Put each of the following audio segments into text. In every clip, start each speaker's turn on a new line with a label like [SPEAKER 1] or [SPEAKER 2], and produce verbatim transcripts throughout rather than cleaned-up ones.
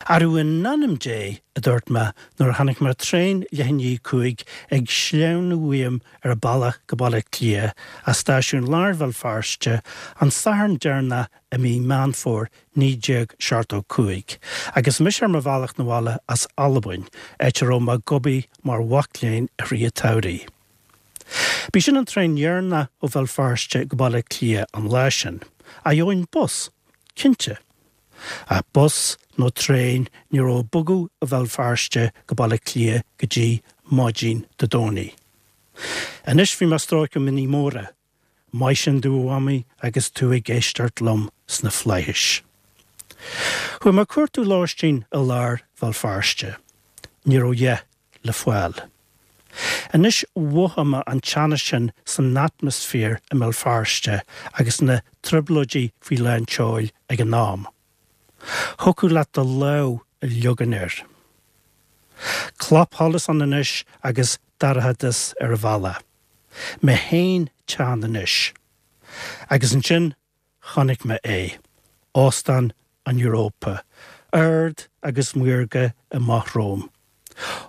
[SPEAKER 1] Arú in ainm Dé a dúirt mé nuair a chonaic mé traein leath i ndiaidh a cúig ag sleamhnú uaim ar a bealach go Baile Átha Cliath as stáisiún láir Bhéal Feirste an Satharn deireanach i mí Meán Fómhair naoi déag seachtó cúig, agus mise ar mo bhealach 'na bhaile as Albain, áit a raibh mé ag obair mar mhac léinn i rith an tsamhraidh. B'í sin an traein dheireanach ó Bhéal Feirste go Baile Átha Cliath an lá sin. Ach gheobhainn bus, cinnte. Ach bus nó traein ní raibh ag bogadh ó Bhéal Feirste go Baile Átha Cliath go dtí maidin Dé Domhnaigh. Anois bhí mé ag stróiceadh mionnaí móra. Maith sin domh a Mhamaí agus tú ag éisteacht liom sna flaithis. Chuaigh mé ag cuartú lóistín i lár Bhéal Feirste. Ní raibh a dhath le fáil. Anois mhothaigh mé an teannas sin san atmaisféar i mBéal Feirste agus na trioblóidí faoi lán tseoil ag an am. Thiocfadh leat do lámh a leagan air. Clapsholas ann anois agus dorchadas ar an bhealach. Mé féin teann anois. Agus ansin chonaic mé é, Óstán an Europa, ard agus maorga amach romham.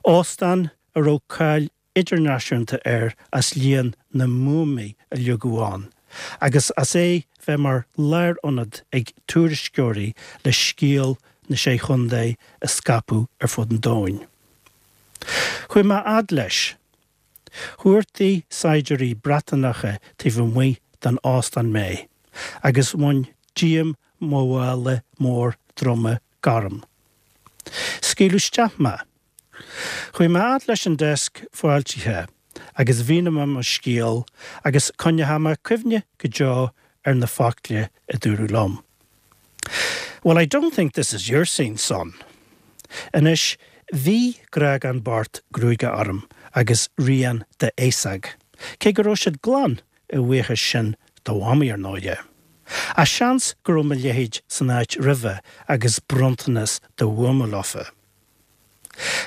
[SPEAKER 1] Óstán a raibh cáil idirnáisiúnta air as líon na mbuamaí a leagadh ann, agus as é bheith mar lárionad ag tuairisceoirí le scéal na Sé Chontae a scaipeadh ar fud an domhain. Chuaigh mé fhad leis. Chuartaigh saighdiúirí Breatanacha taobh amuigh den óstán mé, agus bhain díom mo mhála mór droma gorm. Scaoileadh isteach mé. Chuaigh mé fhad leis an deasc fáiltithe agus mhínigh mé mo scéal agus coinneoidh mé cuimhne go deo ar na focla a dúradh liom. Well, I don't think this is your scene, son. Anois bhí grágán bocht gruaige orm agus rian de fhéasóg, cé go raibh siad glan a bhuíochas sin do Mhamaí ar ndóigh. Ach seans go raibh mo leithéid san áit roimhe agus bronntanas de bhuama leofa.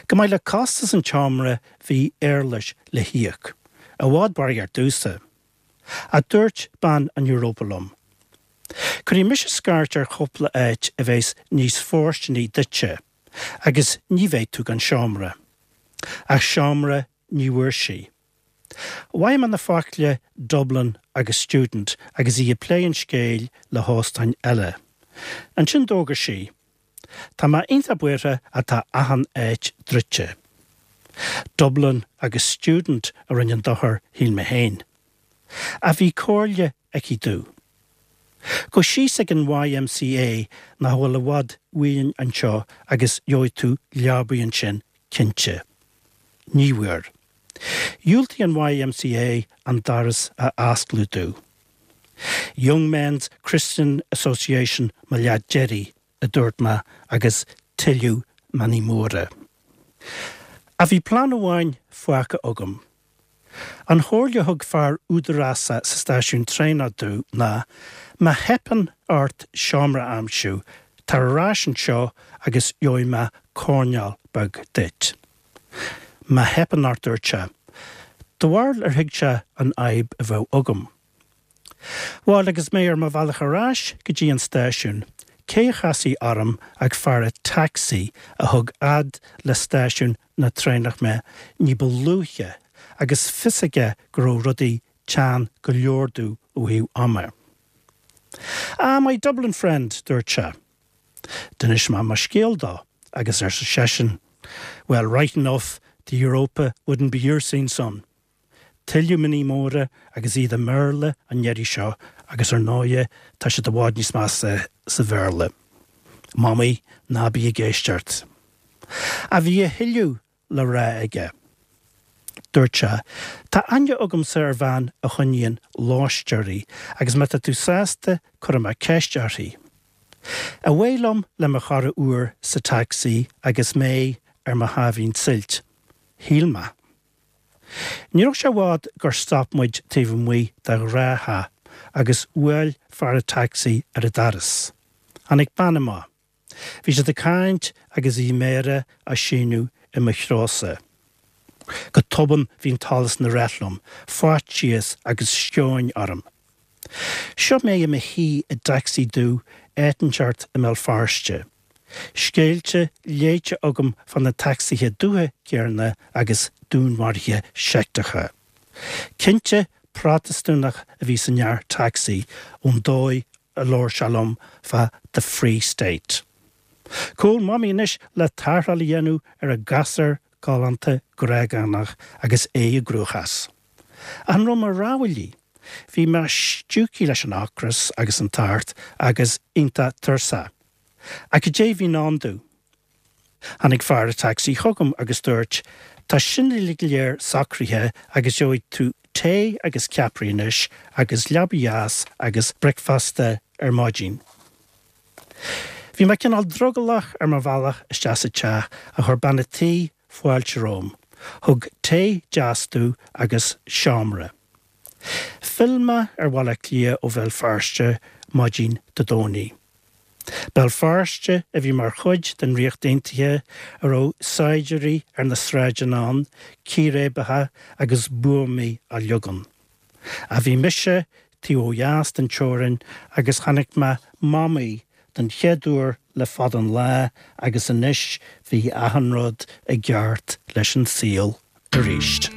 [SPEAKER 1] Chomh maith le costas an tseomra bhí éarlais le híoc, i bhfad barraí ar dtús. A dúirt bean an Europa liom. Cuirfidh mise scairt ar chúpla áit a bheas níos fóirsteanaí duitse, agus ní bheidh tú gan seomra. Ach seomra ní bhfuair sí. Mhaith mé na focla Dublin agus student agus í ag plé an scéil le hóstáin eile. Ansin d'fhógair sí, Tá mé iontach buartha ach tá achan áit druidte. Dublin agus student a rinne an dochar shíl mé féin. Ach bhí comhairle aici domh. Gabh síos ag an YMCA nach bhfuil i bhfad uainn anseo agus gheobhaidh tú leabaidh ansin cinnte. Ní bhfuair. Dhiúltaigh an YMCA an doras a oscailt domh. Young Men's Christian Association mo leath deiridh a dúirt mé agus tuilleadh mionnaí móra. Ach bhí plean amháin fágtha agam. An chomhairle a thug fear údarásach sa stáisiún traenach domh ná má theipeann ort seomra a aimsiú, tar ar ais anseo agus gheobhaidh mé coirnéal beag duit. Má theipeann ort dúirt sé, Do bharúil ar thuig sé an fhadhb a bheadh agam. Bhuel agus mé ar mo bhealach ar ais go dtí an stáisiún, cé a chasfaí orm ach fear tacsaí a thug fhad le stáisiún na traenach mé ní ba luaithe agus fios aige go raibh rudaí teann go leor domh ó thaobh ama. Ah, my Dublin friend, dúirt sé. D'inis mé mo scéal dó agus arsa seisean, Well, right enough, the Europa wouldn't be your scene, son. Tuilleadh mionnaí móra agus iad i mBéarla an iarraidh seo agus ar ndóigh tá siad i bhfad níos measa sa Bhéarla. Mamaí ná bí ag éisteacht. Ach bhí a thuilleadh le rá aige. Dúirt sé, Tá aithne agamsa ar bhean a choinníonn lóisteoirí agus má tá tú sásta cuirfidh mé ceist uirthi. Away liom le mo chara úr sa taxi agus mé ar mo sháimhín suilt. Shíl mé. Ní raibh sé i bhfad gur stop muid taobh amuigh de ghnáththeach agus bhuail fear an taxi ar an doras. Tháinig bean amach. Bhí siad ag caint agus bhí méara á síneadh i mo threosa. Go tobann bhí an t-allas ina rith liom, faitíos agus sceoin orm. Seo mé i mo shuí i dtacsaí dubh áit inteacht i mBéal Feirste. Scéalta léite agam fá na tacsaithe dubha céanna agus dúnmharuithe seicteacha. Cinnte Protastúnach a bhí san fhear tacsaí ón dóigh a labhair sé liom fá the Free State. Cúl Mamaí anois le tarrtháil a dhéanamh ar a gasúr galánta gréagánach agus é i gcruachás. An raibh mo rogha uilig? Bhí mé stiúgtha leis an ocras agus an tart agus iontach tuirseach. Ach cad é a bhí i ndán domh. Tháinig fear an tacsaí chugam agus dúirt, Tá sin uilig go léir socraithe agus gheobhaidh tú tae agus ceapairí anois agus leaba dheas agus bricfeasta ar maidin. Bhí mé cineál drogallach ar mo bhealach isteach sa teach ach chuir bean an tí fáilte romham. Thug tae deas domh agus seomra. Phill mé ar Bhaile Átha Cliath ó Bhéal Feirste maidin Dé Domhnaigh. Béal Feirste a bhí mar chuid den Ríocht Aontaithe a raibh saighdiúirí ar na sráideanna ann, círéibeacha agus buamaí á leagan. Ach bhí mise taobh ó dheas den teorainn agus chonaic mé Mamaí den chéad uair le fada an lá agus anois bhí achan rud i gceart leis an saol arís.